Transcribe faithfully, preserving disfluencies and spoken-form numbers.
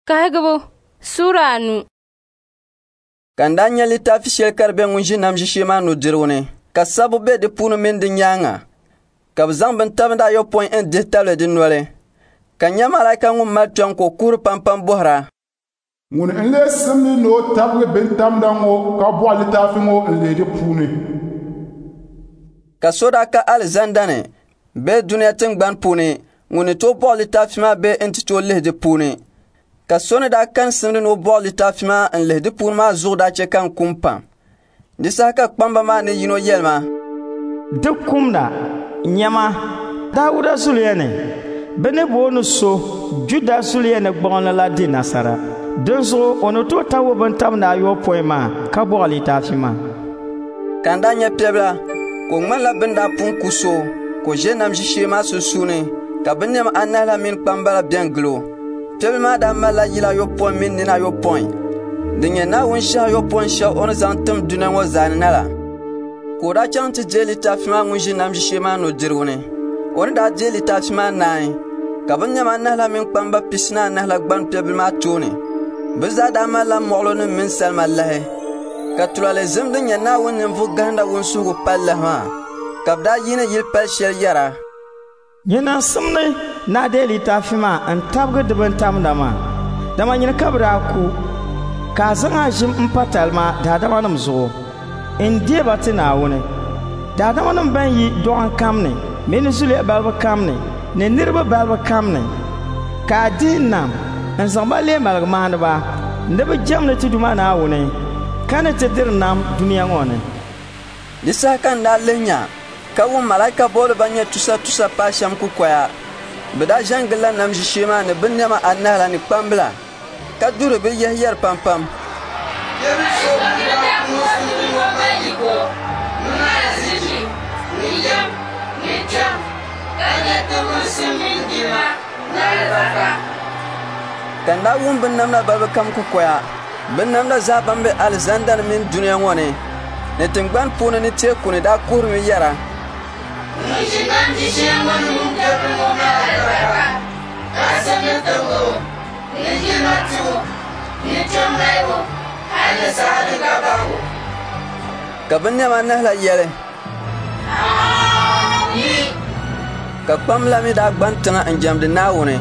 Kahigibu Suura anu. Ka n daa nya litaafi shɛli ka di be ŋun ʒi nam ʒishee maa nudirigu ni, ka sabbu be di puuni mini di nyaaŋa, ka bɛ zaŋ bintabinda ayopɔin n-dihi tabili di noli. Ka n nya malaika ŋun mali kpiɔŋ ka o kuhiri pampam bɔhira, Ŋuni n-lee simdi ni o tabigi bintamda ŋɔ ka bɔɣi litaafi ŋɔ n-lihi di puuni? Ka so daa ka alizanda ni bee dunia tiŋgbani puuni ŋun ni tooi bɔɣi litaafi maa bee nti tooi lihi di puuni. Ka so ni daa kani simdi ni o bɔɣi litaafi maa n-lihi di puuni maa zuɣu daa chɛ ka n kum pam. Di saha ka kpamba maa ni yino yɛli ma, Di kumda, nyama, Dauda zuliya ni, bɛ ni booni so Juda zuliya ni gbuɣinli la di nasara. Dinzuɣu o ni tooi tabigi bintabinda ayopɔin maa ka bɔɣi litaafi maa. Ka n daa nya piɛbila ka o ŋmanila bɛ ni daa pun ku so ka o ʒe nam ʒishee maa sunsuuni, ka binnɛma anahi la mini kpamba la bɛn gili o. Piɛbila maa daa malila yila ayopɔin mini nina ayopɔin din nyɛ Naawuni shɛhi ayopɔin shɛli o ni zaŋ tim dunia ŋɔ zaa ni na la. Ka o daa chaŋ ti deei litaafi maa ŋun ʒi nam ʒishee maa nudirigu ni. O ni daa deei litaafi maa naai, ka binnɛma anahi la mini kpamba pisi ni anahi la gbani piɛbila maa tooni. Bɛ zaa daa malila mɔɣilɔnim mini salima lahi, ka tulaale zim din nyɛ Naawuni ninvuɣ gahinda wunsuhigu pali lahi maa, ka bɛ daa yiini yili pali shɛli yɛra, Nyini n-simdi ni a deei litaafi maa n-tabigi di bintamda maa, dama nyini ka bɛ daa ku, ka a zaŋ a ʒim m-pa talima daadamanim zuɣu, n-deei ba ti Naawuni. Daadamanim bɛn yi dɔɣim kam ni mini zuliya balibu kam ni ni niriba balibu kam ni, ka a dihi nam n-zaŋ ba leei maligumaaniba ni bɛ jɛmdi ti Duuma Naawuni, ka ni ti diri nam dunia ŋɔ ni. Di saha ka n daa lihi nya ka wum malaika bɔbili ban nyɛ tusa tusa paai shɛm kukoya. Bɛ daa ʒe n-gilila nam ʒishee maa ni binnɛma anahi la ni kpambila, ka duhiri bɛ yɛhi yɛri pampam, Piɛbil so ŋun daa ku o suhu ŋɔ mali yiko ni azichi ni yɛm ni kpiɔŋ, ka nyɛ tibusim mini jilima ni alibarika. Ka n daa wum binnamda balibu kam kukoya, binnamda zaa ban be alizanda ni mini dunia ŋɔ ni, ni tiŋgbani puuni ni teeku ni daa kuhirimi yɛra, Ŋun ʒi nam ʒishee ŋɔ ni mini piɛbil ŋɔ mali alibarika, ka simdi tibigibu ni jilima tibu ni kpiɔŋ malibu hal ni saha din ka bahigu. Ka binnɛma anahi la yɛli, Aami! Ka kpamba la mi daa gbani tiŋa n-jɛmdi Naawuni.